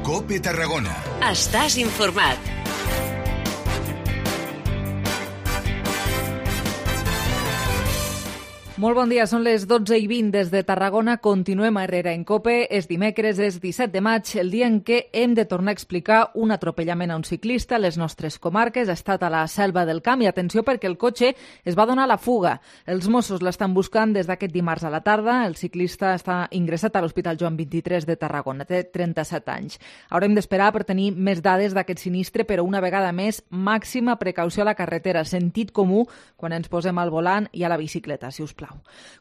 COPE Tarragona. Estàs informat. Molt bon dia, són les 12:20 des de Tarragona. Continuem a Herrera en COPE. És dimecres, és 17 de maig, el dia en què hem de tornar a explicar un atropellament a un ciclista a les nostres comarques. Ha estat a la Selva del Camp i atenció perquè el cotxe es va donar a la fuga. Els Mossos l'estan buscant des d'aquest dimarts a la tarda. El ciclista està ingressat a l'Hospital Joan 23 de Tarragona. Té 37 anys. Haurem d'esperar per tenir més dades d'aquest sinistre, però una vegada més, màxima precaució a la carretera. Sentit comú quan ens posem al volant i a la bicicleta, si us plau.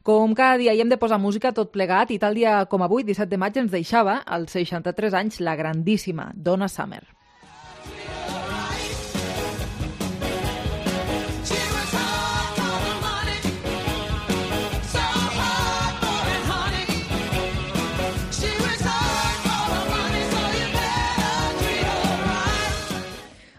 Com cada dia hi hem de posar música tot plegat i tal dia com avui, 17 de maig, ens deixava als 63 anys la grandíssima Donna Summer.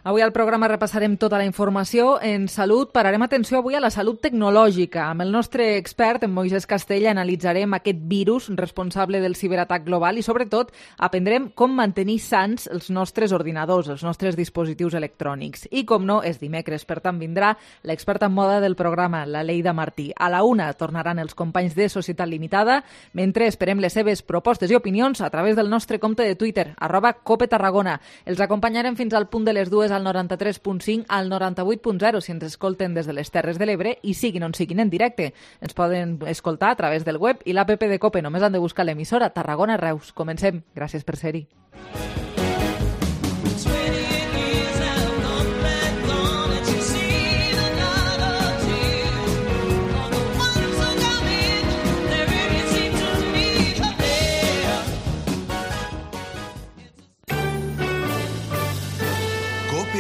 Avui al programa repassarem tota la informació. En salut pararem atenció avui a la salut tecnològica. Amb el nostre expert, en Moisès Castella, analitzarem aquest virus responsable del ciberatac global i, sobretot, aprendrem com mantenir sans els nostres ordinadors, els nostres dispositius electrònics. I, com no, és dimecres, per tant vindrà l'experta en moda del programa, la Leida Martí. A la 1 tornaran els companys de Societat Limitada, mentre esperem les seves propostes i opinions a través del nostre compte de Twitter, @CopeTarragona. Els acompanyarem fins al punt de les 2 al 93.5 al 98.0 si ens escolten des de les Terres de l'Ebre i siguin on siguin en directe. Ens poden escoltar a través del web i l'app de COPE. Només han de buscar l'emissora Tarragona Reus. Comencem. Gràcies per ser-hi.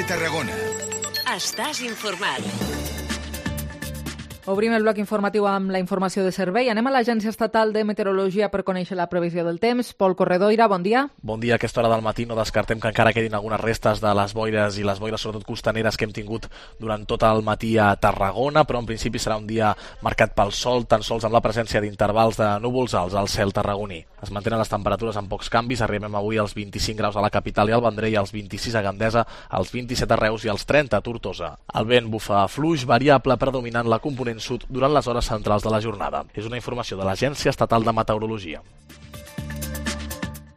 Tarragona. Estàs informat. Obrim el bloc informatiu amb la informació de servei. Anem a l'Agència Estatal de Meteorologia per conèixer la previsió del temps. Pol Corredoira, bon dia. Bon dia. A aquesta hora del matí no descartem que encara quedin algunes restes de les boires i les boires sobretot costaneres que hem tingut durant tot el matí a Tarragona, però en principi serà un dia marcat pel sol, tan sols amb la presència d'intervals de núvols alts al cel tarragoní. Es mantenen les temperatures amb pocs canvis. Arribem avui als 25 graus a la capital i al Vendrell, als 26 a Gandesa, als 27 a Reus i als 30 a Tortosa. El vent bufa fluix, variable, predominant la component sud durant les hores centrals de la jornada. És una informació de l'Agència Estatal de Meteorologia.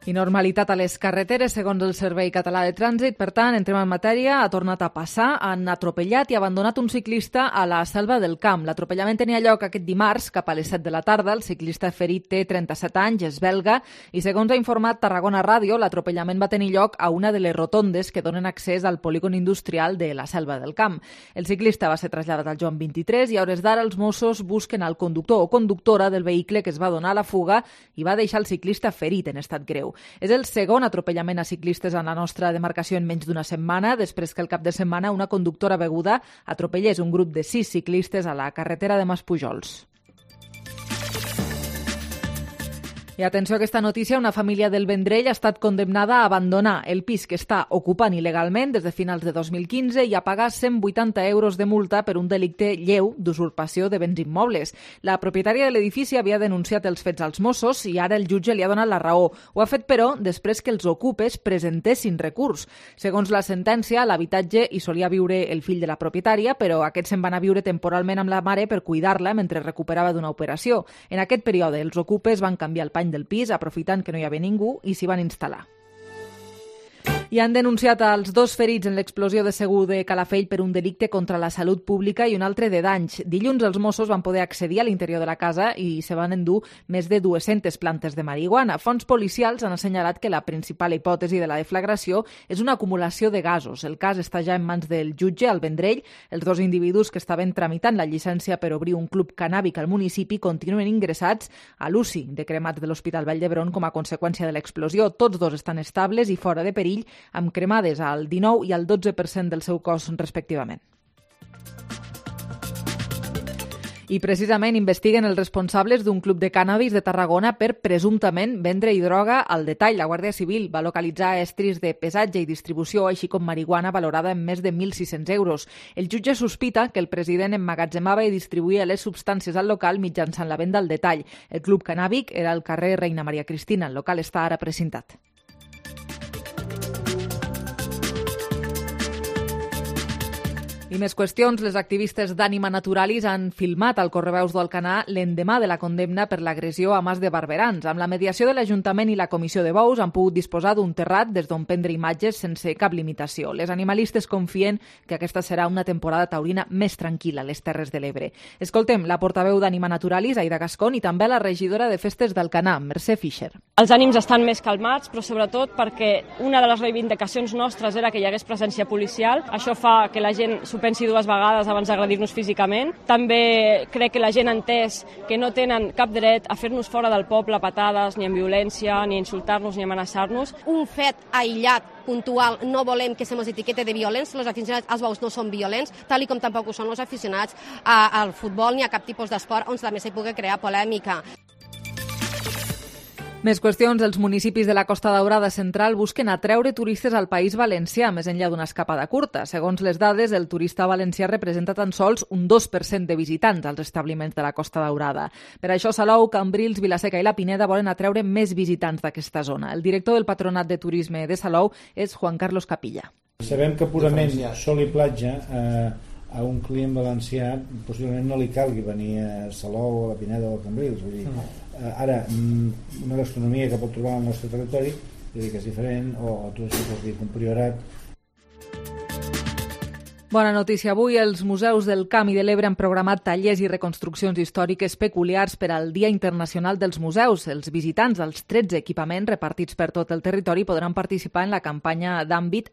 I normalitat a les carreteres, segons el Servei Català de Trànsit. Per tant, entrem en matèria. Ha tornat a passar. Han atropellat i abandonat un ciclista a la Selva del Camp. L'atropellament tenia lloc aquest dimarts, cap a les 7 de la tarda. El ciclista ferit té 37 anys, és belga, i segons ha informat Tarragona Ràdio, l'atropellament va tenir lloc a una de les rotondes que donen accés al polígon industrial de la Selva del Camp. El ciclista va ser traslladat al Joan 23 i a hores d'ara els Mossos busquen el conductor o conductora del vehicle que es va donar a la fuga i va deixar el ciclista ferit en estat greu. És el segon atropellament a ciclistes en la nostra demarcació en menys d'una setmana, després que el cap de setmana una conductora beguda atropellés un grup de 6 ciclistes a la carretera de Maspujols. I atenció a aquesta notícia, una família del Vendrell ha estat condemnada a abandonar el pis que està ocupant il·legalment des de finals de 2015 i a pagar 180 euros de multa per un delicte lleu d'usurpació de béns immobles. La propietària de l'edifici havia denunciat els fets als Mossos i ara el jutge li ha donat la raó. Ho ha fet, però, després que els ocupes presentessin recurs. Segons la sentència, a l'habitatge hi solia viure el fill de la propietària, però aquest se'n va anar a viure temporalment amb la mare per cuidar-la mentre recuperava d'una operació. En aquest període, els ocupes van canviar el pany del pis, aprofitant que no hi havia ningú, i s'hi van instal·lar. I han denunciat els 2 ferits en l'explosió de Segur de Calafell per un delicte contra la salut pública i un altre de danys. Dilluns els Mossos van poder accedir a l'interior de la casa i se van endur més de 200 plantes de marihuana. Fonts policials han assenyalat que la principal hipòtesi de la deflagració és una acumulació de gasos. El cas està ja en mans del jutge al Vendrell. Els 2 individus que estaven tramitant la llicència per obrir un club cannàbic al municipi continuen ingressats a l'UCI de cremats de l'Hospital Vall d'Hebron com a conseqüència de l'explosió. Tots 2 estan estables i fora de perill, amb cremades al 19% i al 12% del seu cos, respectivament. I precisament investiguen els responsables d'un club de cànnabis de Tarragona per presumptament vendre-hi droga al detall. La Guàrdia Civil va localitzar estris de pesatge i distribució, així com marihuana valorada en més de 1.600 euros. El jutge sospita que el president emmagatzemava i distribuïa les substàncies al local mitjançant la venda al detall. El club cannàbic era al carrer Reina Maria Cristina. El local està ara precintat. I més qüestions. Les activistes d'Ànima Naturalis han filmat al Correveus d'Alcanar l'endemà de la condemna per l'agressió a Mas de Barberans. Amb la mediació de l'Ajuntament i la Comissió de Bous han pogut disposar d'un terrat des d'on prendre imatges sense cap limitació. Les animalistes confien que aquesta serà una temporada taurina més tranquil·la a les Terres de l'Ebre. Escoltem la portaveu d'Ànima Naturalis, Aida Gascón, i també la regidora de Festes d'Alcanar, Mercè Fischer. Els ànims estan més calmats, però sobretot perquè una de les reivindicacions nostres era que hi hagués presència policial. Això fa que la gent s'ho pensi dues vegades abans d'agredir-nos físicament. També crec que la gent ha entès que no tenen cap dret a fer-nos fora del poble a patades, ni en violència, ni a insultar-nos, ni a amenaçar-nos. Un fet aïllat, puntual, no volem que se mos etiquete de violents. Els aficionats als bous no són violents, tal com tampoc ho són els aficionats al futbol ni a cap tipus d'esport on també s'hi pugui crear polèmica. Més qüestions. Els municipis de la Costa Daurada Central busquen atreure turistes al País Valencià, més enllà d'una escapada curta. Segons les dades, el turista valencià representa tan sols un 2% de visitants als establiments de la Costa Daurada. Per això, Salou, Cambrils, Vilaseca i la Pineda volen atreure més visitants d'aquesta zona. El director del Patronat de Turisme de Salou és Juan Carlos Capilla. Sabem que purament sol i platja a un client valencià possiblement no li calgui venir a Salou, a la Pineda o a Cambrils. Vull dir, ara, una gastronomia que pot trobar al nostre territori, vull dir que és diferent, o tu això pots dir un priorat. Bona notícia avui. Els museus del Camp i de l'Ebre han programat tallers i reconstruccions històriques peculiars per al Dia Internacional dels Museus. Els visitants dels 13 equipaments repartits per tot el territori podran participar en la campanya d'àmbit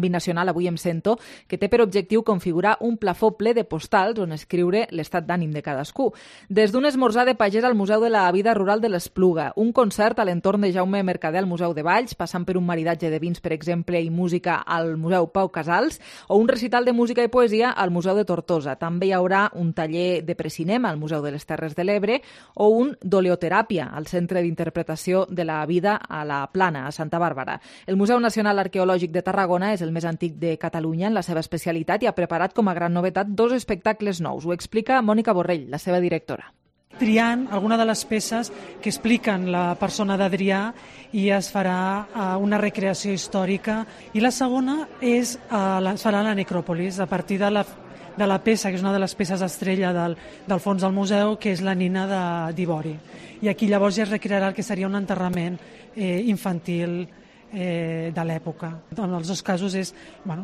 nacional Avui em sento, que té per objectiu configurar un plafó ple de postals on escriure l'estat d'ànim de cadascú. Des d'un esmorzar de pagès al Museu de la Vida Rural de l'Espluga, un concert a l'entorn de Jaume Mercader al Museu de Valls, passant per un maridatge de vins, per exemple, i música al Museu Pau Casals, o un recital de música i poesia al Museu de Tortosa. També hi haurà un taller de precinema al Museu de les Terres de l'Ebre o un d'oleoteràpia al Centre d'Interpretació de la Vida a la Plana, a Santa Bàrbara. El Museu Nacional Arqueològic de Tarragona és el més antic de Catalunya en la seva especialitat i ha preparat com a gran novetat 2 espectacles nous. Ho explica Mònica Borrell, la seva directora. Triant alguna de les peces que expliquen la persona d'Adrià i es farà una recreació històrica. I la segona es farà la necròpolis, a partir de la peça, que és una de les peces estrella del fons del museu, que és la nina d'Ivori. I aquí llavors ja es recrearà el que seria un enterrament infantil de l'època. En els 2 casos és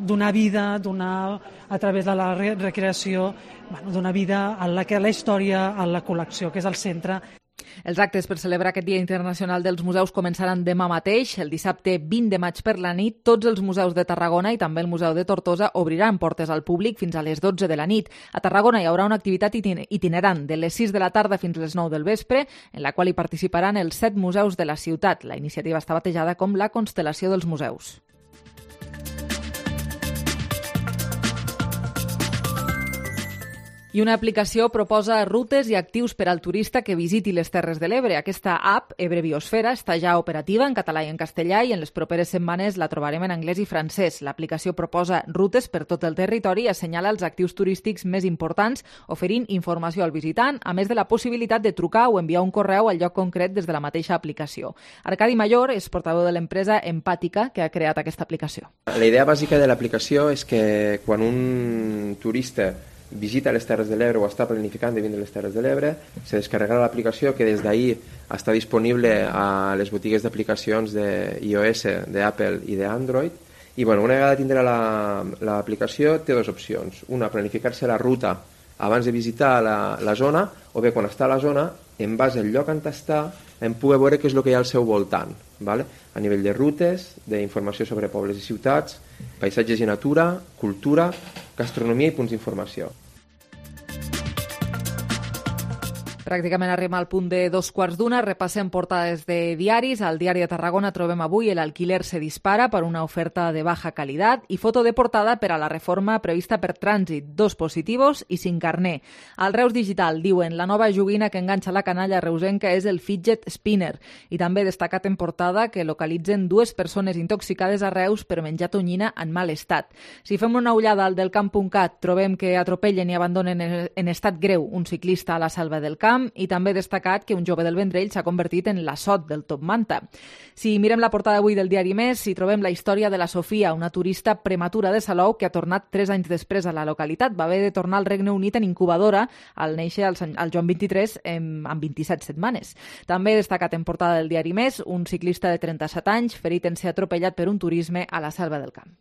donar vida, a través de la recreació, donar vida a la història, a la col·lecció, que és el centre. Els actes per celebrar aquest Dia Internacional dels Museus començaran demà mateix, el dissabte 20 de maig per la nit. Tots els museus de Tarragona i també el Museu de Tortosa obriran portes al públic fins a les 12 de la nit. A Tarragona hi haurà una activitat itinerant de les 6 de la tarda fins a les 9 del vespre, en la qual hi participaran els 7 museus de la ciutat. La iniciativa està batejada com la Constel·lació dels Museus. I una aplicació proposa rutes i actius per al turista que visiti les Terres de l'Ebre. Aquesta app, Ebre Biosfera, està ja operativa en català i en castellà i en les properes setmanes la trobarem en anglès i francès. L'aplicació proposa rutes per tot el territori i assenyala els actius turístics més importants, oferint informació al visitant, a més de la possibilitat de trucar o enviar un correu al lloc concret des de la mateixa aplicació. Arcadi Mayor és portaveu de l'empresa Empàtica, que ha creat aquesta aplicació. La idea bàsica de l'aplicació és que quan un turista visita les Terres de l'Ebre o està planificant de vindre a les Terres de l'Ebre, se descarregarà l'aplicació que des d'ahir està disponible a les botigues d'aplicacions d'iOS, d'Apple i d'Android. I una vegada tindrà l'aplicació té 2 opcions. Una, planificar-se la ruta abans de visitar la zona, o bé quan està a la zona, en base al lloc on està, en poder veure què és el que hi ha al seu voltant, a nivell de rutes, d'informació sobre pobles i ciutats, paisatges i natura, cultura, gastronomia i punts d'informació. Pràcticament arribem al punt de 2:15. Repassem portades de diaris. Al Diari de Tarragona trobem avui el alquiler se dispara per una oferta de baja qualitat i foto de portada per a la reforma prevista per trànsit. 2 positivos i 5 carné. Al Reus Digital diuen la nova joguina que enganxa la canalla reusenca és el fidget spinner. I també destacat en portada que localitzen 2 persones intoxicades a Reus per menjar tonyina en mal estat. Si fem una ullada al delcamp.cat trobem que atropellen i abandonen en estat greu un ciclista a la Selva del Camp. camp i també destacat que un jove del Vendrell s'ha convertit en l'assot del Top Manta. Si mirem la portada avui del diari Més, hi trobem la història de la Sofia, una turista prematura de Salou que ha tornat 3 anys després a la localitat. Va haver de tornar al Regne Unit en incubadora al néixer al Joan 23 amb 27 setmanes. També destacat en portada del diari Més un ciclista de 37 anys ferit en ser atropellat per un turisme a la Selva del Camp.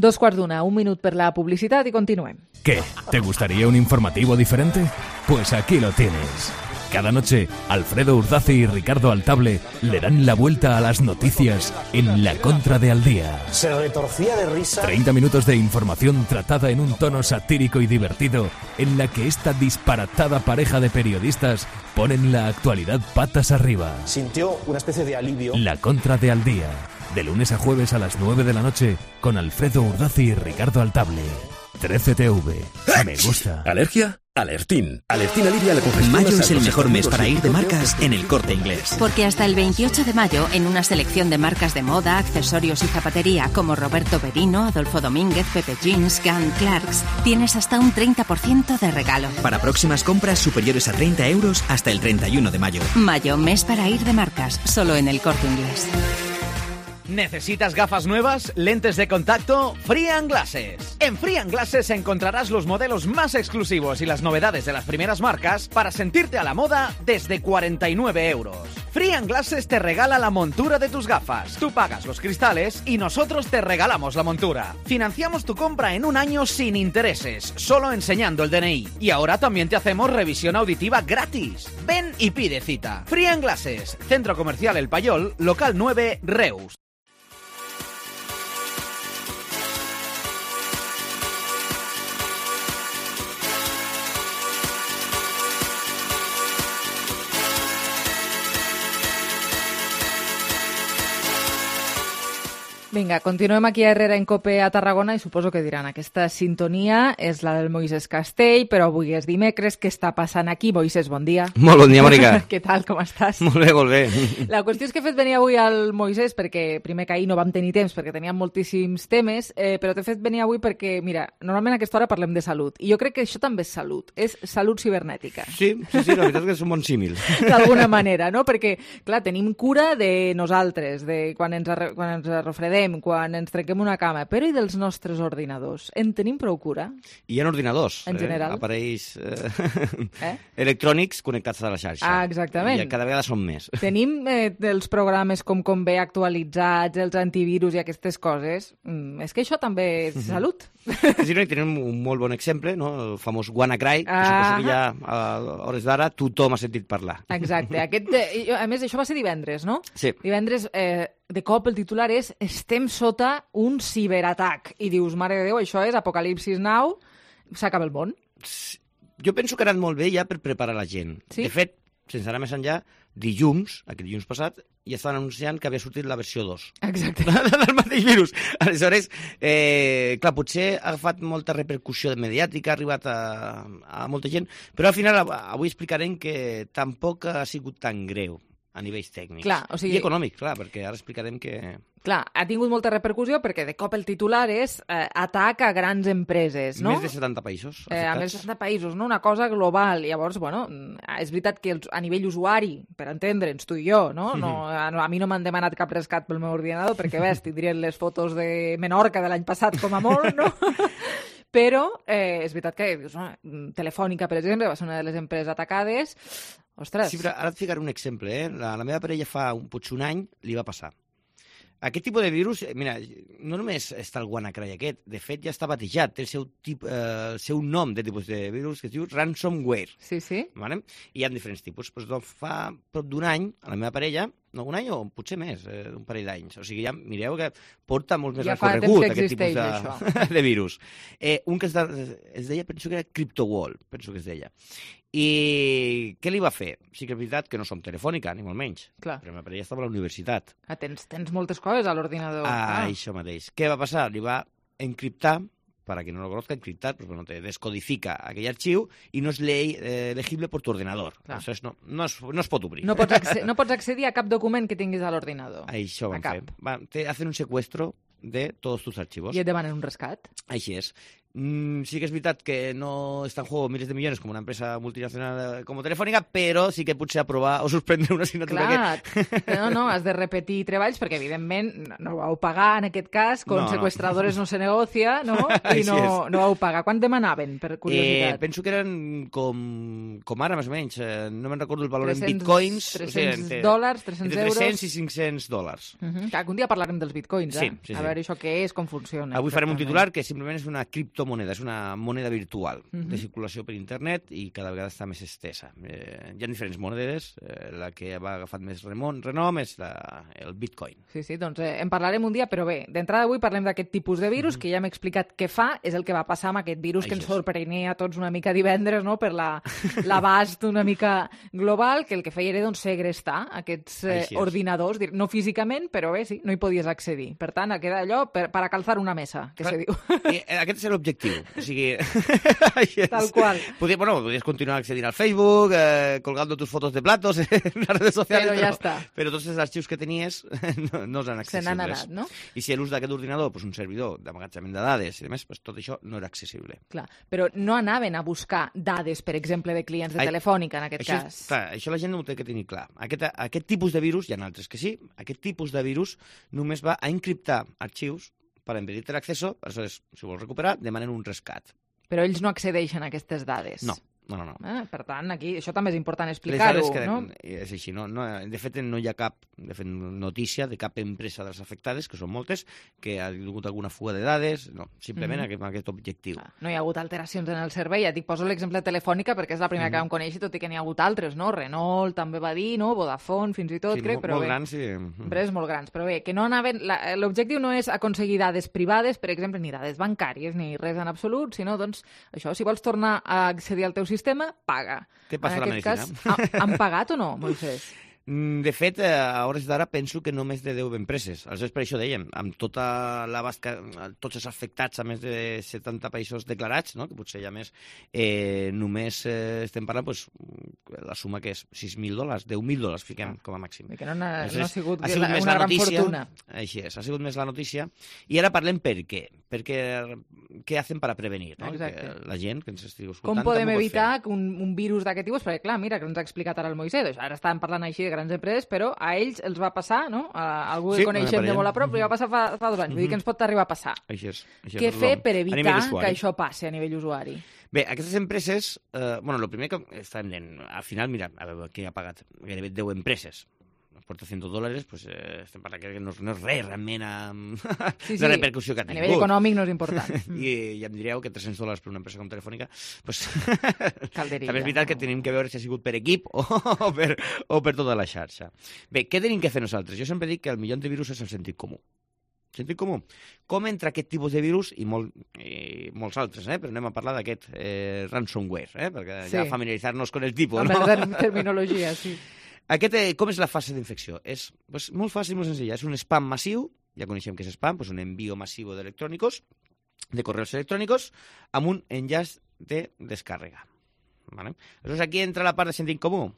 Dos quarts d'una, un minut per la publicitat y continuem. ¿Qué? ¿Te gustaría un informativo diferente? Pues aquí lo tienes. Cada noche, Alfredo Urdaci y Ricardo Altable le dan la vuelta a las noticias en La Contra de Al Día. Se retorcía de risa. 30 minutos de información tratada en un tono satírico y divertido, en la que esta disparatada pareja de periodistas ponen la actualidad patas arriba. Sintió una especie de alivio. La Contra de Al Día. De lunes a jueves a las 9 de la noche con Alfredo Urdaci y Ricardo Altable. 13TV. Me gusta. ¿Alergia? Alertín. Alertín alivia la congestión. Mayo es el mejor mes para ir de marcas en El Corte Inglés. Porque hasta el 28 de mayo, en una selección de marcas de moda, accesorios y zapatería como Roberto Berino, Adolfo Domínguez, Pepe Jeans, Gunn, Clarks, tienes hasta un 30% de regalo. Para próximas compras superiores a 30 euros hasta el 31 de mayo. Mayo, mes para ir de marcas, solo en El Corte Inglés. ¿Necesitas gafas nuevas? ¿Lentes de contacto? Free & Glasses. En Free & Glasses encontrarás los modelos más exclusivos y las novedades de las primeras marcas para sentirte a la moda desde 49 euros. Free & Glasses te regala la montura de tus gafas. Tú pagas los cristales y nosotros te regalamos la montura. Financiamos tu compra en un año sin intereses, solo enseñando el DNI. Y ahora también te hacemos revisión auditiva gratis. Ven y pide cita. Free & Glasses, Centro Comercial El Payol, local 9, Reus. Vinga, continuem aquí a Herrera en Cope a Tarragona i suposo que diran aquesta sintonia és la del Moisés Castell, però avui és dimecres. Què està passant aquí? Moisés, bon dia. Molt bon dia, Mònica. Què tal, com estàs? Molt bé, molt bé. La qüestió és que he fet venir avui al Moisés perquè primer que ahir no vam tenir temps perquè teníem moltíssims temes, però t'he fet venir avui perquè, mira, normalment a aquesta hora parlem de salut i jo crec que això també és salut cibernètica. Sí, la veritat és que és un bon símil. D'alguna manera, no? Perquè, clar, tenim cura de nosaltres, de quan ens refredem, quan ens trenquem una cama, però i dels nostres ordinadors? En tenim prou cura? Hi ha ordinadors, en general? Aparells electrònics connectats a la xarxa. Ah, exactament. I cada vegada són més. Tenim els programes com Convé actualitzats, els antivirus i aquestes coses. És que això també és salut. Sí, no, i tenim un molt bon exemple, no? El famós WannaCry, que suposo que ja a hores d'ara tothom ha sentit parlar. Exacte. A més, això va ser divendres, no? Sí. Divendres, de cop el titular és "Estem sota un ciberatac". I dius, mare de Déu, això és Apocalipsis Now, s'acaba el món. Jo penso que ha anat molt bé ja per preparar la gent. Sí? De fet, sense anar més enllà, aquest dilluns passat, ja estaven anunciant que havia sortit la versió 2. Exacte. Del mateix virus. Aleshores, clar, potser ha agafat molta repercussió mediàtica, ha arribat a molta gent, però al final avui explicarem que tampoc ha sigut tan greu a nivells tècnics. Clar, o sigui... I econòmics, clar, perquè ara explicarem que... Clar, ha tingut molta repercussió perquè de cop el titular és atac a grans empreses, no? Més de 70 països afectats. A més de 70 països, no? Una cosa global. Llavors, bueno, és veritat que a nivell usuari, per entendre'ns, tu i jo, no? A mi no m'han demanat cap rescat pel meu ordinador perquè, ves, tindrien les fotos de Menorca de l'any passat com a molt, no? Però és veritat que Telefònica, per exemple, va ser una de les empreses atacades. Ostres. Sí, però ara et ficaré un exemple. La meva parella potser un any li va passar. Aquest tipus de virus, mira, no només està el WannaCry aquest, de fet ja està batejat, té el seu nom de tipus de virus que es diu ransomware. Sí, sí. Vale? I hi ha diferents tipus. Pues, fa prop d'un any, a la meva parella, no, un any o potser més, un parell d'anys. O sigui, ja mireu que porta molt més recorregut aquest tipus de virus. Un que es deia, penso que era CryptoWall, penso que es deia. I què li va fer? Sí que és veritat que no som Telefònica, ni molt menys. Clar. Però la parella estava a la universitat. Tens moltes coses a l'ordinador. Això mateix. Què va passar? Li va encriptar, para quien no lo conozca, encriptar, pues bueno, te descodifica aquell arxiu i no és legible per tu ordenador. Aleshores no es pot obrir. No pots accedir a cap document que tinguis a l'ordinador. Això van fer. Te hacen un secuestro de tots tus archivos. I et demanen un rescat. Així és. Sí que és veritat que no està en juego miles de millones com una empresa multinacional com Telefònica, però sí que potser aprovar o suspendre una assignatura Clar, no, has de repetir treballs perquè, evidentment, no vau pagar en aquest cas, con secuestradores no se negocia, no? I no vau pagar. Quant demanaven, per curiositat? Penso que eren com ara, més o menys. No me'n recordo el valor en bitcoins. $300, 300 entre euros. 300 i $500. Algun dia parlarem dels bitcoins, Sí. A veure això què és, com funciona. Avui farem un titular que simplement és una criptomoneda, és una moneda virtual de circulació per internet i cada vegada està més estesa. Hi ha diferents monedes, la que va agafant més renom és el bitcoin. Sí, doncs en parlarem un dia, però bé, d'entrada avui parlem d'aquest tipus de virus, que ja hem explicat què fa, és el que va passar amb aquest virus que ens sorprenia a tots una mica divendres, no?, per l'abast una mica global, que el que feia era segrestar aquests ordinadors, no físicament, però bé, sí, no hi podies accedir. Per tant, queda allò per a calzar una mesa, que se diu. Aquest és l'objectiu. O sigui... Tal qual. Podries continuar accedint al Facebook, colgando tus fotos de platos en las redes sociales, però ja està. Però tots els arxius que tenies no s'han accessibles. Se n'han anat, no? I si l'ús d'aquest ordinador, un servidor d'emmagatzemament de dades i demés, tot això no era accessible. Clar, però no anaven a buscar dades, per exemple, de clients de Telefònica, en aquest cas. Clar, això la gent no ho té que tenir clar. Aquest tipus de virus, hi ha altres que sí, aquest tipus de virus només va a encriptar arxius per impedir-te l'acceso, aleshores, si vols recuperar, demanen un rescat. Però ells no accedeixen a aquestes dades. No. Per tant, aquí això també és important explicar-ho, no? És així, no? De fet, no hi ha cap notícia de cap empresa de les afectades, que són moltes, que ha hagut alguna fuga de dades, no, simplement aquest objectiu. No hi ha hagut alteracions en el servei, ja dic, poso l'exemple de Telefònica perquè és la primera que vam conèixer, tot i que n'hi ha hagut altres, no? Renault també va dir, no? Vodafone, fins i tot, crec, però bé. Molt grans, sí. Empreses molt grans, però bé, que no anaven... L'objectiu no és aconseguir dades privades, per exemple, ni dades bancàries, ni res en absolut, sinó, doncs, això, si vols tornar a accedir al teu sistema, paga. Què passa a la medicina? Cas, han pagat o no, Moisés? De fet, a hores d'ara penso que no més de 10 empreses. Aleshores, per això dèiem, amb tota l'abast, tots els afectats a més de 70 països declarats, no? Que potser hi ha més, només estem parlant, la suma que és $6.000, $10.000, fiquem com a màxim. Que no ha sigut una gran fortuna. Així és, ha sigut més la notícia. I ara parlem per què. Perquè què hacen per a prevenir, no? Que la gent que ens estigui escoltant... Com podem evitar que un virus d'aquest tipus... Perquè, clar, mira, que ens ha explicat ara el Moisés, ara estàvem parlant així de grans empreses, però a ells els va passar, no? A algú que coneixem de molt a prop, li va passar fa 2 anys. Vull dir que ens pot arribar a passar. Així és. Què fer per evitar que això passi a nivell usuari? Bé, aquestes empreses, el primer que estàvem dient, al final, mira, a veure, qui ha pagat gairebé 10 empreses. Porta $100, pues estem parlant que no és res realment la repercussió que ha tingut. A nivell econòmic no és important. I ja em diríeu que $300 per una empresa com Telefònica, pues Calderilla. També és veritat que tenim que veure si ha sigut per equip o per tota la xarxa. Bé, què tenim que fer nosaltres? Jo sempre dic que el millor antivirus és el sentit comú. Sentit comú. Com entre aquest tipus de virus i molts altres, però anem a parlar d'aquest ransomware, perquè ja familiaritzar-nos con el tipus. Amb la terminologia, sí. Com és la fase d'infecció? És molt fàcil, molt senzilla. És un spam massiu, ja coneixem què és spam, un envío massivo de correos electrònicos amb un enllaç de descàrrega. Aleshores, aquí entra la part de sentit comú.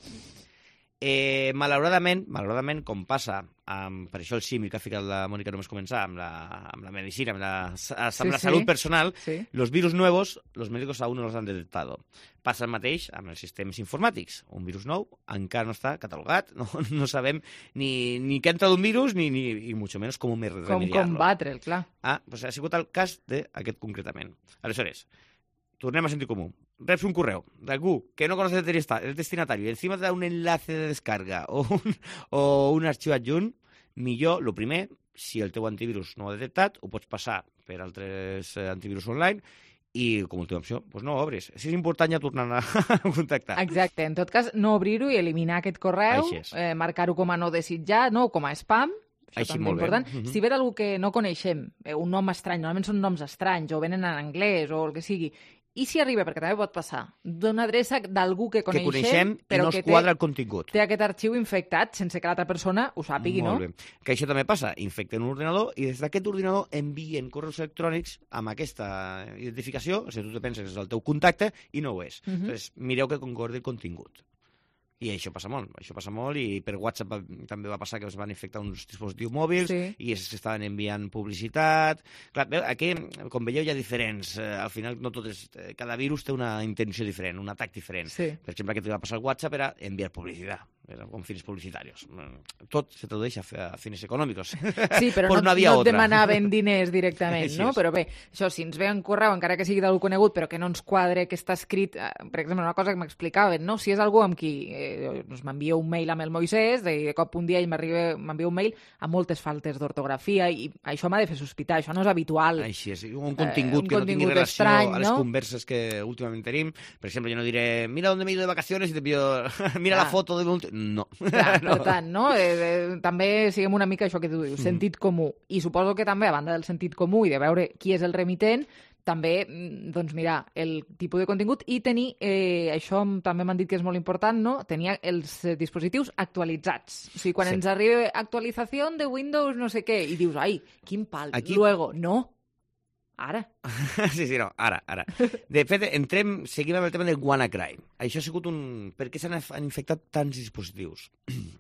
Malauradament, com passa, per això el símil que ha ficat la Mònica només començar, amb la medicina, amb la salut personal, los virus nuevos, los médicos aún no los han detectado. Passa el mateix amb els sistemes informàtics. Un virus nou encara no està catalogat, no sabem ni què entra d'un virus, ni mucho menos com remediar-lo. Com combatre'l, clar. Doncs ha sigut el cas d'aquest concretament. Aleshores, tornem a sentit comú. Reps un correu d'algú que no conoce el destinatario y encima te da un enlace de descarga o un arxiu adjunt, millor, el primer, si el teu antivirus no ho ha detectat, ho pots passar per altres antivirus online i, com a última opció, no obres. Si és important ja tornar a contactar. Exacte. En tot cas, no obrir-ho i eliminar aquest correu, marcar-ho com a no desitjat, no, com a spam. Això també és important. Si ve d'algú que no coneixem, un nom estrany, normalment són noms estranys, o venen en anglès, o el que sigui, i si arriba, perquè també pot passar, d'una adreça d'algú que coneixem però que quadra el contingut. Té aquest arxiu infectat sense que l'altra persona ho sàpigui, no? Molt bé. Que això també passa. Infecten un ordinador i des d'aquest ordinador envien correus electrònics amb aquesta identificació, o sigui, tu te penses que és el teu contacte i no ho és. Llavors, mireu que concordi el contingut. I això passa molt, i per WhatsApp també va passar que es van infectar uns dispositius mòbils i s'estaven enviant publicitat. Clar, aquí, com veieu, hi ha diferents. Al final, no tot és... Cada virus té una intenció diferent, un atac diferent. Per exemple, que va passar al WhatsApp era enviar publicitat, con fines publicitarios. Tot se tradueix a fines econòmics. Sí, però no et demanaven diners directament, no? Però bé, això, si ens ve en correu, encara que sigui d'algú conegut, però que no ens quadre que està escrit, per exemple, una cosa que m'explicaven, no? Si és algú amb qui m'envia un mail amb el Moisès, de cop un dia ell m'envia un mail amb moltes faltes d'ortografia, i això m'ha de fer sospitar, això no és habitual. Així és, un contingut que no tingui relació estrany, a les converses que últimament tenim. Per exemple, jo no diré, mira on me he ido de vacaciones i t'envio, mira la foto de... No. Clar, per tant, no? També siguem una mica això que tu dius, sentit comú. I suposo que també, a banda del sentit comú i de veure qui és el remitent, també, doncs, mirar el tipus de contingut i tenir, això també m'han dit que és molt important, no? Tenir els dispositius actualitzats. O sigui, quan ens arriba actualització de Windows no sé què, i dius, ai, quin pal, luego, no. Ara. Sí, no, ara. De fet, seguim amb el tema del WannaCry. Això ha sigut Per què s'han infectat tants dispositius?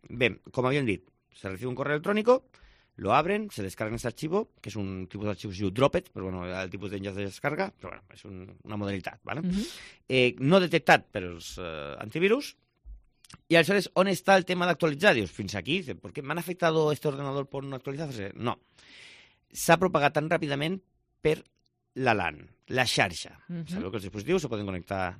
Bé, com havíem dit, se recibe un correo electrónico, lo abren, se descargan este archivo, que es un tipus d'arxiu que es diu Dropped, però bueno, el tipus d'enllaç de descarga, però bueno, és una modalitat, ¿vale? No detectat per els antivirus. Y aleshores, on està el tema d'actualitzar? Dius, fins aquí, ¿por qué me han afectado este ordenador por no actualizarse? No. S'ha propagat tan ràpidament per la LAN, la xarxa. Sabeu que els dispositius se poden connectar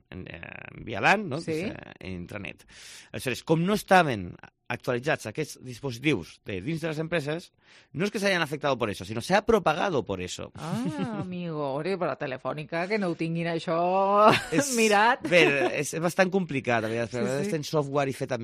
via LAN, no? En intranet. Aleshores, com no estaven actualitzats aquests dispositius de dins de les empreses, no es que se hayan afectado por eso, sino se ha propagado por eso. Ah, amigo, per la telefònica, que no ho tinguin això mirat. Bé, és bastant complicat, a vegades tens software i fet a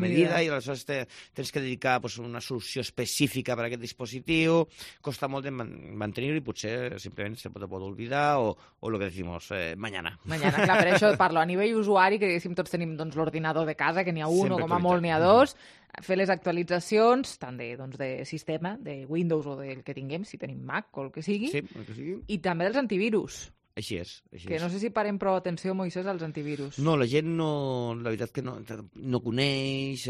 medida i aleshores tens que dedicar una solució específica per a aquest dispositiu, costa molt de mantenir-ho i potser simplement se pot oblidar o lo que decimos, mañana. Mañana, clar, per això parlo a nivell usuari, que diguéssim tots tenim l'ordinador de casa, que n'hi ha un o com a molt n'hi ha dos, fer les actualitzacions tant de sistema, de Windows o del que tinguem, si tenim Mac o el que sigui, i també dels antivirus. Així és. Que no sé si parem prou atenció, Moisès, als antivirus. No, la gent no... La veritat que no coneix,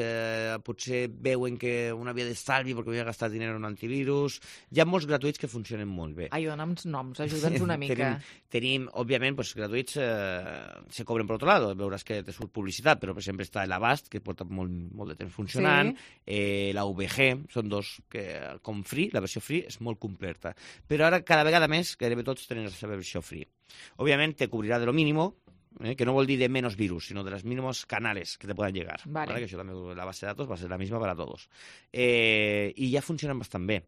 potser veuen que una via d'estalvi perquè havia gastat diner en un antivirus. Hi ha molts gratuïts que funcionen molt bé. Ai, dona'ns noms, ajuda'ns una mica. Tenim, òbviament, gratuïts se cobren per otro lado. Veuràs que te surt publicitat, però, per exemple, està l'Avast, que porta molt de temps funcionant, la VG, són dos que, com free, la versió free és molt completa. Però ara, cada vegada més, gairebé tots tenen la seva versió free. Obviamente te cubrirá de lo mínimo, que no vol dir de menos virus, sino de los mínimos canales que te puedan llegar. Vale. Que això també, la base de datos va a ser la misma para todos. I ja funcionen bastant bé.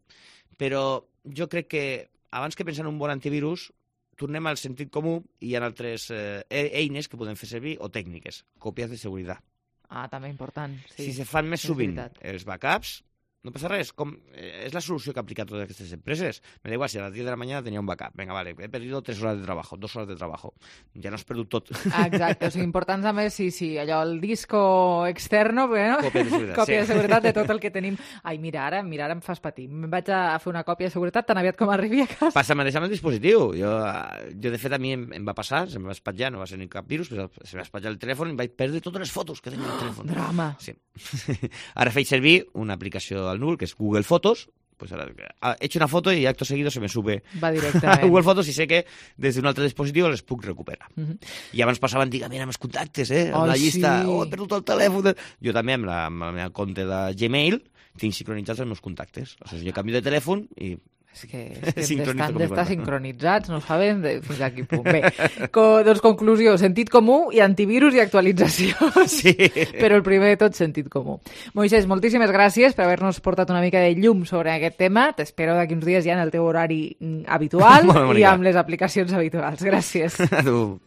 Però jo crec que abans que pensar en un bon antivirus, tornem al sentit comú i hi ha altres eines que podem fer servir o tècniques. Còpies de seguretat. Ah, també important. Sí. Si se fan més sovint els backups, no passa res, és la solució que ha aplicat totes aquestes empreses. Me da igual, si a las 10 de la mañana tenía un backup. Venga, vale, he perdido 3 horas de trabajo, 2 horas de trabajo. Ja no has perdut tot. Exacte, o sigui, important també, sí, allò, el disco externo, bueno, còpia de seguretat de tot el que tenim. Ai, mira, ara em fas patir. Me'n vaig a fer una còpia de seguretat tan aviat com arribi a casa. Passa mateix amb el dispositiu. Jo, de fet, a mi em va passar, se em va espatllar, no va ser ni cap virus, però se em va espatllar el telèfon i em vaig perdre totes les fotos que tenia al telèfon. Drama. Sí. Ara faig servir una aplicació al núvol, que és Google Fotos. Pues ahora he hecho una foto y acto seguido se me sube a Google Fotos y sé que des d'un altre dispositiu les puc recuperar. I abans passaven, mira, els contactes, amb la llista, he perdut el telèfon. Jo també amb la meva compte de Gmail tinc sincronitzats els meus contactes. O sigui, jo canvio de telèfon i és que d'estar sincronitzats, no sabem fins a quin punt. Bé, doncs conclusió, sentit comú i antivirus i actualització. Sí. Però el primer de tot, sentit comú. Moisès, moltíssimes gràcies per haver-nos portat una mica de llum sobre aquest tema. T'espero d'aquí uns dies ja en el teu horari habitual i amb les aplicacions habituals. Gràcies. A tu.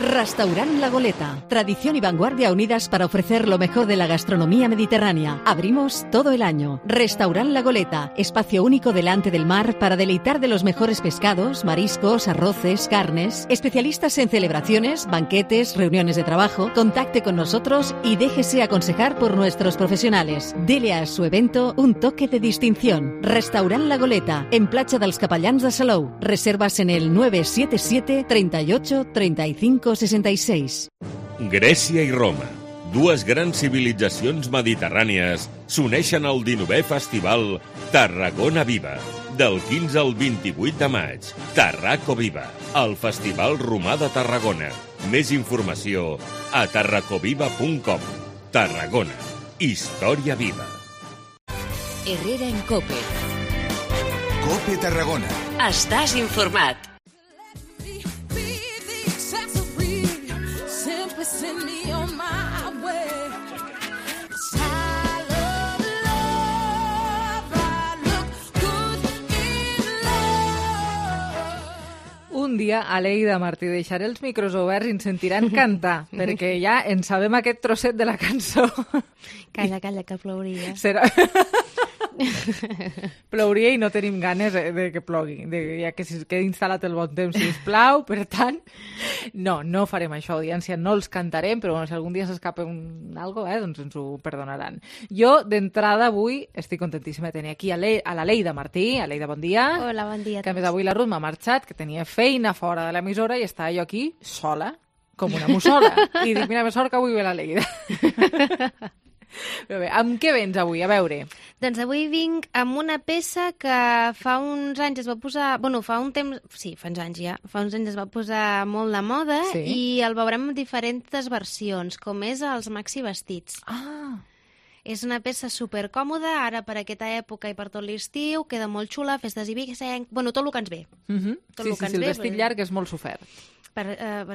Restaurant La Goleta. Tradición y vanguardia unidas para ofrecer lo mejor de la gastronomía mediterránea. Abrimos todo el año. Restaurant La Goleta. Espacio único delante del mar para deleitar de los mejores pescados, mariscos, arroces, carnes. Especialistas en celebraciones, banquetes, reuniones de trabajo. Contacte con nosotros y déjese aconsejar por nuestros profesionales. Dele a su evento un toque de distinción. Restaurant La Goleta. En Platja dels Capellans de Salou. Reservas en el 977 38 35 66. Grècia i Roma, dues grans civilitzacions mediterrànies, s'uneixen al 19è Festival Tarragona Viva, del 15 al 28 de maig. Tarraco Viva, el Festival Romà de Tarragona. Més informació a tarracoviva.com. Tarragona, història viva. Herrera en COPE. COPE Tarragona. Estàs informat. Un dia a Leida Martí deixaré els micros oberts i ens sentiran cantar, perquè ja en sabem aquest trosset de la cançó. Calla, que plouria. Serà... Plouria i no tenim ganes de que plogui, ja que quedi instal·lat el bon temps, sisplau. Per tant, no farem això, audiència, no els cantarem, però bueno, si algun dia s'escapa algo, doncs ens ho perdonaran. Jo, d'entrada, avui estic contentíssima de tenir aquí a la Leida Martí. Aleida, bon dia. Hola, bon dia. Que a més avui la Ruth m'ha marxat, que tenia feina fora de l'emissora i estava jo aquí sola, com una mussola. I dic, mira, més sort que avui ve la Leida. Però bé, amb què vens avui? A veure. Doncs avui vinc amb una peça que fa uns anys es va posar... Bueno, fa un temps... Sí, fa uns anys ja. Fa uns anys es va posar molt de moda i el veurem en diferents versions, com és els maxi vestits. Ah! És una peça supercòmoda, ara per aquesta època i per tot l'estiu, queda molt xula, festes i vicenc... Bueno, tot el que ens ve. Sí, el vestit llarg és molt sofert. Per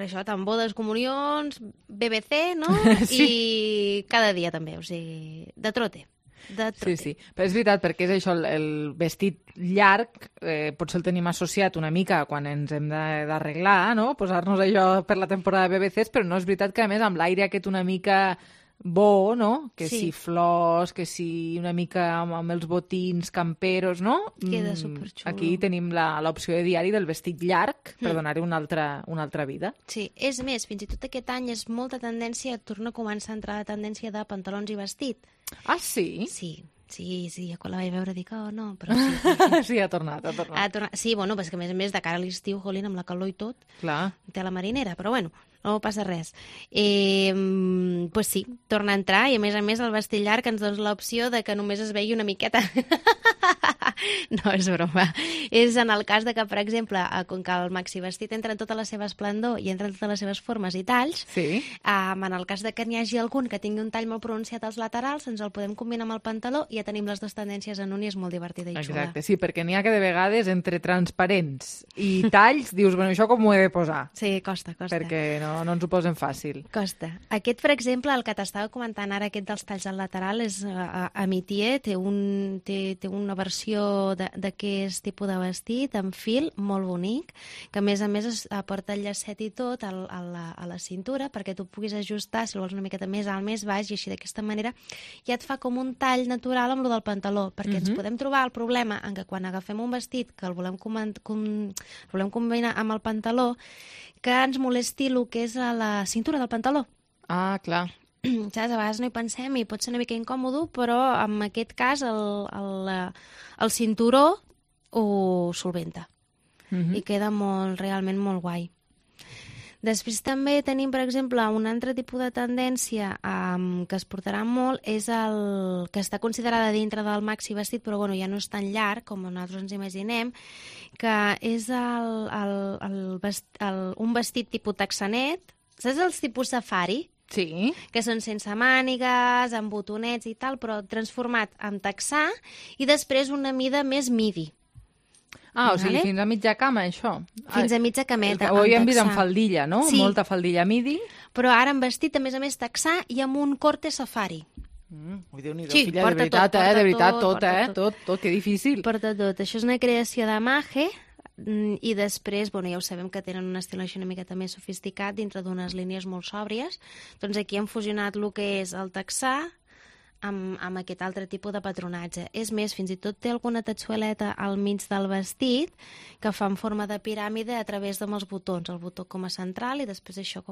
això, tant bodes, comunions, BBC, no? Sí. I cada dia també, o sigui, de trote. Sí, però és veritat, perquè és això, el vestit llarg, potser el tenim associat una mica quan ens hem d'arreglar, no? Posar-nos això per la temporada de BBCs, però no és veritat que, a més, amb l'aire aquest una mica bo, no? Que si flors, que si una mica amb els botins camperos, no? Queda superxulo. Aquí tenim l'opció de diari del vestit llarg per donar-hi una altra vida. Sí, és més, fins i tot aquest any és molta tendència, torna a començar a entrar la tendència de pantalons i vestit. Ah, sí? Sí, quan la vaig veure dic, oh, no, però sí. Sí, ha tornat. Sí, bueno, perquè a més de cara a l'estiu, jolín, amb la calor i tot, clar, té la marinera, però bueno, no passa res. Pues sí, torna a entrar i a més el vestit llarg ens dona l'opció de que només es vegi una miqueta. No, és broma. És en el cas de que, per exemple, com que el maxi vestit entra en tota la seva esplendor i entra en totes les seves formes i talls, en el cas de que n'hi hagi algun que tingui un tall molt pronunciat als laterals, ens el podem combinar amb el pantaló i ja tenim les dues tendències en un i és molt divertida i xula. Exacte, sí, perquè n'hi ha que de vegades entre transparents i talls dius, bueno, això com ho he de posar? Sí, costa. Perquè no ens ho posen fàcil. Costa. Aquest, per exemple, el que t'estava comentant ara, aquest dels talls al lateral, és Amitié, té una versió d'aquest tipus de vestit amb fil molt bonic, que a més es porta el llacet i tot a la cintura perquè tu puguis ajustar, si el vols una miqueta més alt, més baix, i així d'aquesta manera ja et fa com un tall natural amb lo del pantaló, perquè ens podem trobar el problema en que quan agafem un vestit que el volem combinar amb el pantaló, que ens molesti el que és a la cintura del pantaló. Ah, clar. Saps? A vegades no hi pensem i pot ser una mica incòmodo, però en aquest cas el cinturó ho solventa i queda realment molt guai. Després també tenim, per exemple, un altre tipus de tendència que es portarà molt, és el que està considerada dintre del maxi vestit, però bueno, ja no és tan llarg com nosaltres ens imaginem, que és un vestit tipus texanet. Saps els tipus safari? Sí. Que són sense mànigues, amb botonets i tal, però transformat en texà i després una mida més midi. Ah, o sigui, fins a mitja cama, això. Fins a mitja cameta. Ho havíem vist amb faldilla, no? Sí. Molta faldilla midi. Però ara en vestit, a més texà i amb un corte safari. Déu-n'hi-do, filla, de veritat, tot, que difícil. Porta tot. Això és una creació de Maje, I després, ja ho sabem que tenen un estil així una miqueta més sofisticat dintre d'unes línies molt sòbries. Doncs aquí hem fusionat el que és el texà amb aquest altre tipus de patronatge. És més, fins i tot té alguna tatxueleta al mig del vestit que fa en forma de piràmide a través dels botons, el botó com a central i després això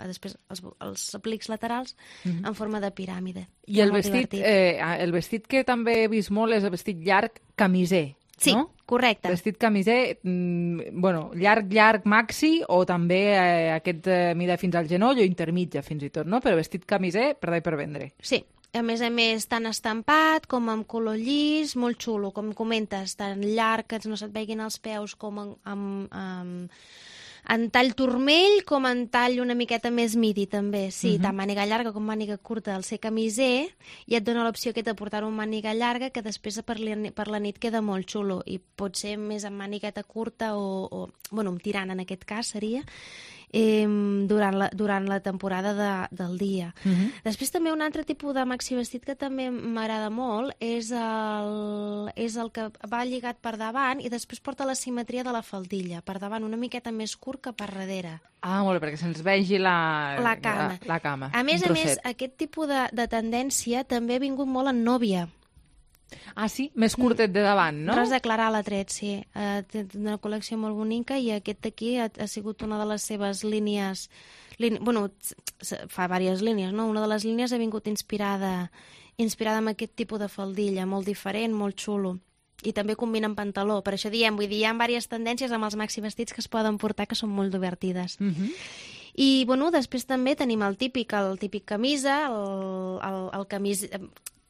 després els aplics laterals en forma de piràmide. I el vestit que també he vist molt és el vestit llarg camiser. Sí, no? Correcte. Vestit camiser, llarg maxi o també aquest mida fins al genoll o intermitja fins i tot, no? Però vestit camiser per dar i per vendre. Sí. A més, tant estampat com amb color llis, molt xulo, com comentes, tant llarg que no se't veguin els peus com en tall turmell com en tall una miqueta més midi, també. Sí, tant màniga llarga com màniga curta al ser camiser, i et dona l'opció aquesta de portar-ho amb màniga llarga, que després per la nit queda molt xulo, i pot ser més amb mànigueta curta amb tirant en aquest cas seria, durant la temporada del dia. Després també un altre tipus de maxi vestit que també m'agrada molt és el que va lligat per davant i després porta la simetria de la faldilla, per davant una miqueta més curt que per darrere. Ah, molt bé, perquè se'ns vegi la cama. A més, aquest tipus de tendència també ha vingut molt en nòvia. Ah, sí? Més curtet de davant, no? Rosa Clarà l'ha tret, sí. Té una col·lecció molt bonica i aquest aquí ha sigut una de les seves línies... fa diverses línies, no? Una de les línies ha vingut inspirada en aquest tipus de faldilla, molt diferent, molt xulo. I també combina amb pantaló. Per això diem, hi ha diverses tendències amb els maxi vestits que es poden portar que són molt divertides. I, després també tenim el típic camisa, el camisa...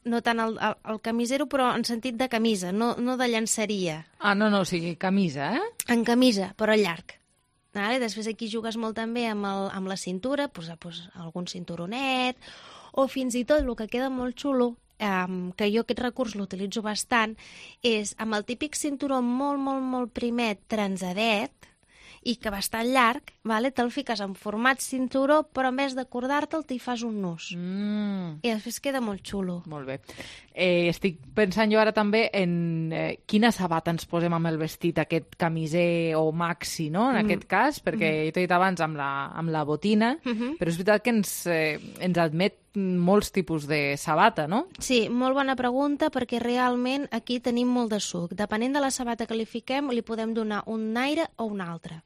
No tant el camisero, però en sentit de camisa, no de llenceria. Ah, no, o sigui, camisa, eh? En camisa, però llarg. Després aquí jugues molt també amb la cintura, algun cinturonet, o fins i tot el que queda molt xulo, que jo aquest recurs l'utilitzo bastant, és amb el típic cinturó molt, molt, molt primet, transadet, i que bastant llarg, te'l fiques en format cinturó, però en vez d'acordar-te'l t'hi fas un nus. I després queda molt xulo. Molt bé. Estic pensant jo ara també en quina sabata ens posem amb el vestit, aquest camiser o maxi, no?, en aquest cas, perquè jo t'he dit abans amb la botina, però és veritat que ens admet molts tipus de sabata, no? Sí, molt bona pregunta, perquè realment aquí tenim molt de suc. Depenent de la sabata que li fiquem, li podem donar un aire o un altre.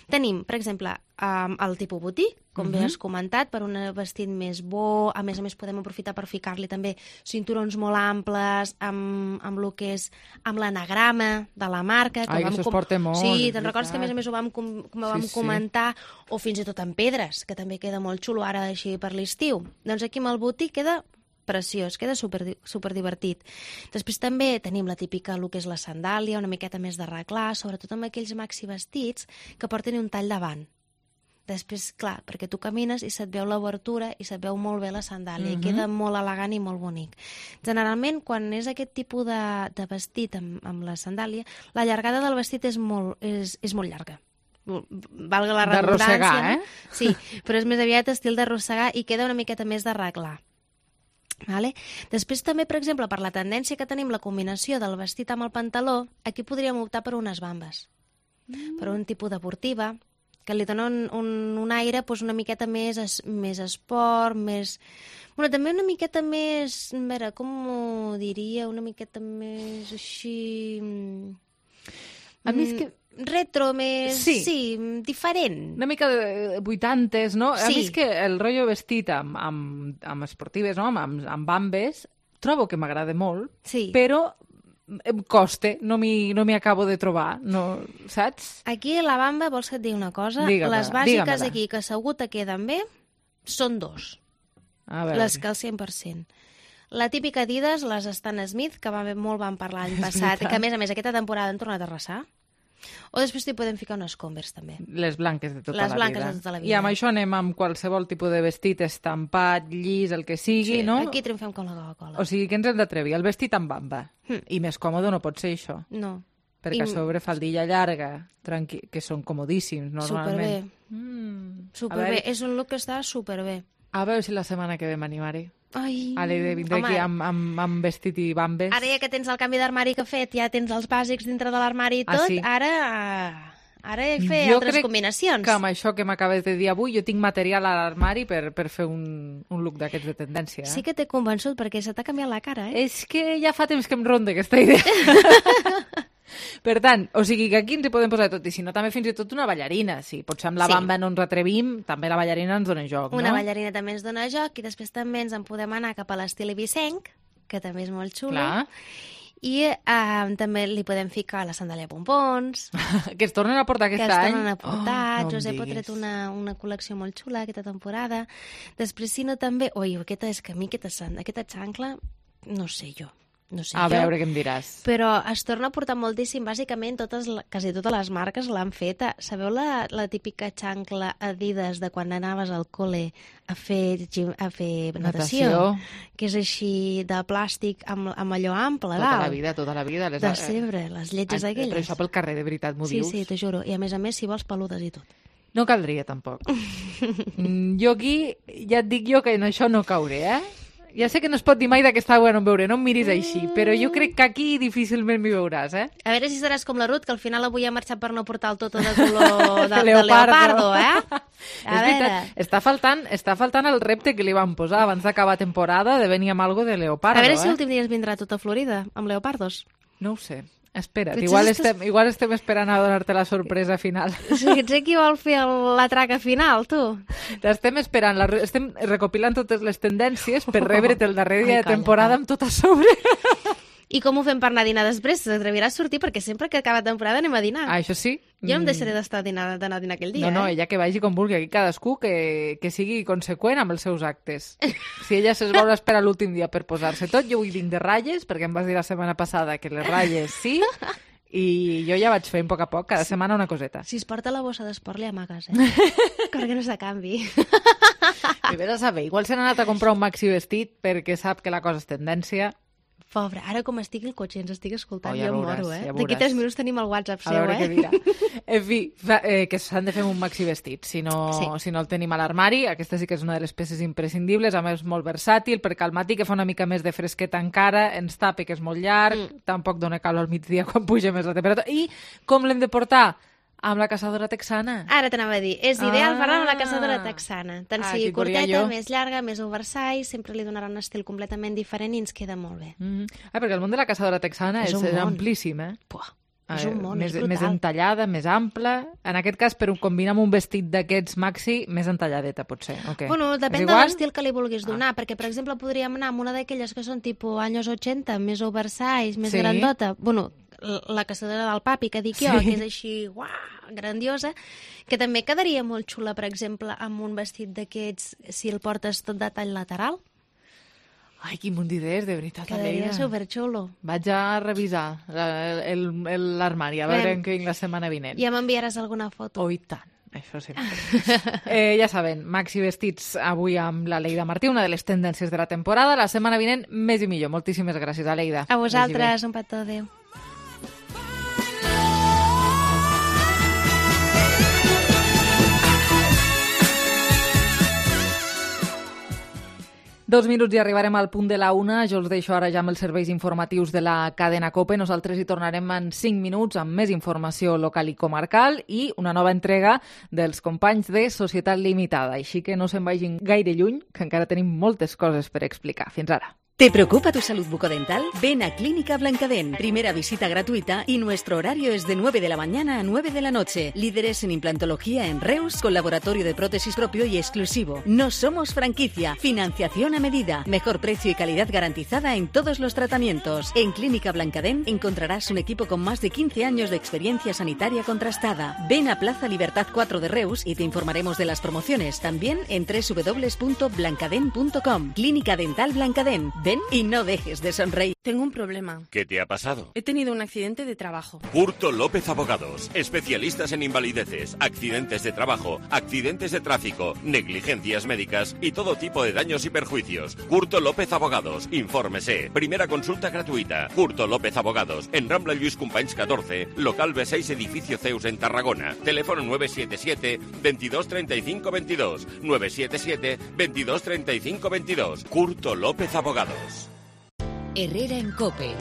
Tenim, per exemple, el tipus botí, com bé has comentat, per un vestit més bo. A més podem aprofitar per ficar-li també cinturons molt amples, amb el que és amb l'anagrama de la marca. Que això es porta molt. Sí, te'n recordes que a més ho vam comentar, o fins i tot amb pedres, que també queda molt xulo ara així per l'estiu. Doncs aquí amb el botí queda preciós, queda super divertit. Després també tenim la típica, el que és la sandàlia, una miqueta més d'arreglar, sobretot amb aquells maxi vestits que porten un tall davant. Després, clar, perquè tu camines i se't veu l'obertura i se't veu molt bé la sandàlia, i queda molt elegant i molt bonic. Generalment, quan és aquest tipus de vestit amb la sandàlia, la llargada del vestit és molt llarga. Valga la redundància. D'arrossegar, eh? Sí, però és més aviat estil d'arrossegar i queda una miqueta més d'arreglar. Després també, per exemple, per la tendència que tenim la combinació del vestit amb el pantaló, aquí podríem optar per unes bambes, per un tipus deportiva, que li dona un aire una miqueta més esport, també una miqueta més, a veure, com ho diria, una miqueta més així... A mi és que... retro, més... Sí, diferent. Una mica de 80s, no? Sí. A mi és que el rotllo vestit amb esportives, no? Amb bambes, trobo que m'agrada molt, però em costa, no m'hi acabo de trobar, no, saps? Aquí a la bamba, vols que et digui una cosa? Les bàsiques aquí, que segur te queden bé, són dos. Les que al 100%. La típica Adidas, les Stan Smith, que molt van parlar l'any passat, que a més aquesta temporada han tornat a arrasar. O després t'hi podem ficar unes Converse, també. Les blanques de tota la vida. Les blanques de tota la vida. I amb això anem amb qualsevol tipus de vestit, estampat, llis, el que sigui, no? Aquí triomfem com la Coca-Cola. O sigui que ens hem d'atrevir. El vestit amb bamba. I més còmode no pot ser això. No. Perquè a sobre faldilla llarga, que són comodíssims, normalment. Superbé. És un look que està superbé. A veure si la setmana que ve m'animaré. Ale, vindré aquí amb vestit i bambes. Ara ja que tens el canvi d'armari que he fet, ja tens els bàsics dintre de l'armari i tot, sí? Ara he de fer altres combinacions. Jo crec que amb això que m'acabes de dir avui, jo tinc material a l'armari per fer un look d'aquests de tendència. Sí que t'he convençut, perquè se t'ha canviat la cara, eh? És que ja fa temps que em ronda aquesta idea. Per tant, o sigui que aquí ens hi podem posar tot, i si no també fins i tot una ballarina. Si potser amb la bamba no ens retrevim, també la ballarina ens dona joc, no? Una ballarina també ens dona joc, i després també ens en podem anar cap a l'estil ibicenc, que també és molt xulo. Clar. I també li podem ficar la sandàlia pompons. Que es tornen a portar aquest any. Que es tornen a portar. Josep ha tret una col·lecció molt xula aquesta temporada. Després, si no, també... Ui, aquesta xancla, no sé jo. A veure què em diràs. Però es torna a portar moltíssim. Bàsicament, quasi totes les marques l'han fet. Sabeu la típica xancla Adidas de quan anaves al col·le a fer natació? Que és així de plàstic amb allò ample, dalt. Tota la vida. De sempre, les lletges aquelles. Però això pel carrer, de veritat, m'ho dius? Sí, t'ho juro. I a més, si vols, peludes i tot. No caldria, tampoc. Jo aquí, ja et dic jo que en això no cauré, eh? Ja sé que no es pot dir mai d'aquesta agua no em veuré, no em miris així, però jo crec que aquí difícilment m'hi veuràs, eh? A veure si seràs com la Ruth, que al final avui ha marxat per no portar el toto de color de leopardo, eh? És veritat, està faltant el repte que li van posar abans d'acabar temporada de venir amb algo de leopardo, A veure si l'últim dia ens vindrà tota Florida, amb leopardos. No ho sé. Espera't, igual estem esperant a donar-te la sorpresa final. Sí, ets qui vol fer la traca final, tu. Estem esperant, estem recopilant totes les tendències per rebre't el darrer dia de temporada amb tot a sobre. I com ho fem per anar a dinar després? T'atreviràs a sortir? Perquè sempre que acaba temporada anem a dinar. Això sí. Jo no em deixaré d'anar a dinar aquell dia. No, ella que vagi com vulgui. Aquí cadascú que sigui conseqüent amb els seus actes. Si ella es vol esperar l'últim dia per posar-se tot, jo vull vinc de ratlles, perquè em vas dir la setmana passada que les ratlles sí, i jo ja vaig fent a poc, cada setmana una coseta. Si es porta la bossa d'esport, li amagues, eh? Perquè no s'acanvi. I vés a saber, igual se n'ha anat a comprar un maxi vestit perquè sap que la cosa és tendència. Pobre, ara com estigui el cotxe i ens estigui escoltant, ja jo moro, eh? D'aquí 3 minuts tenim el WhatsApp seu, A veure què dirà. En fi, que s'han de fer un maxi vestit. Si no el tenim a l'armari, aquesta sí que és una de les peces imprescindibles, a més molt versàtil, perquè al matí que fa una mica més de fresqueta encara, ens tapa que és molt llarg, tampoc dona calor al migdia quan puja més la temperatura. I com l'hem de portar? Amb la caçadora texana. Ara t'anava a dir, és ideal fer-la amb la caçadora texana. Tant sigui curteta, més llarga, més oversize, sempre li donarà un estil completament diferent i ens queda molt bé. Perquè el món de la caçadora texana és amplíssim, eh? És un món, és brutal. Més entallada, més ample. En aquest cas, per combinar amb un vestit d'aquests maxi, més entalladeta, potser. Bueno, depèn de l'estil que li vulguis donar, perquè, per exemple, podríem anar amb una d'aquelles que són tipus anys 80, més oversize, més grandota. Bueno, la caçadora del papi, que dic jo, que és així, grandiosa, que també quedaria molt xula, per exemple, amb un vestit d'aquests, si el portes tot de tall lateral. Ai, quin munt d'idees, de veritat, quedaria superxulo. Vaig a revisar l'armari, a veure en què vinc la setmana vinent. Ja m'enviaràs alguna foto. Oh, i tant. Això sí. Ja saben, maxi vestits avui amb la Leida Martí, una de les tendències de la temporada. La setmana vinent, més i millor. Moltíssimes gràcies, Aleida. A vosaltres, un petó, adéu. Dos minuts i arribarem al punt de la una. Jo els deixo ara ja amb els serveis informatius de la cadena COPE. Nosaltres hi tornarem en 5 minuts amb més informació local i comarcal i una nova entrega dels companys de Societat Limitada. Així que no se'n vagin gaire lluny, que encara tenim moltes coses per explicar. Fins ara. ¿Te preocupa tu salud bucodental? Ven a Clínica Blancadén. Primera visita gratuita y nuestro horario es de 9 de la mañana a 9 de la noche. Líderes en implantología en Reus con laboratorio de prótesis propio y exclusivo. No somos franquicia. Financiación a medida. Mejor precio y calidad garantizada en todos los tratamientos. En Clínica Blancadén encontrarás un equipo con más de 15 años de experiencia sanitaria contrastada. Ven a Plaza Libertad 4 de Reus y te informaremos de las promociones. También en www.blancadén.com. Clínica Dental Blancadén. Ven y no dejes de sonreír. Tengo un problema. ¿Qué te ha pasado? He tenido un accidente de trabajo. Curto López Abogados, especialistas en invalideces, accidentes de trabajo, accidentes de tráfico, negligencias médicas y todo tipo de daños y perjuicios. Curto López Abogados, infórmese. Primera consulta gratuita. Curto López Abogados, en Rambla Lluís Companys 14, local B6, edificio Zeus en Tarragona. Teléfono 977 22 35 22. 977 22 35 22. Curto López Abogados. Herrera en COPE.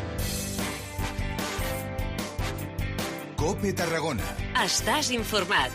COPE Tarragona. Estàs informat.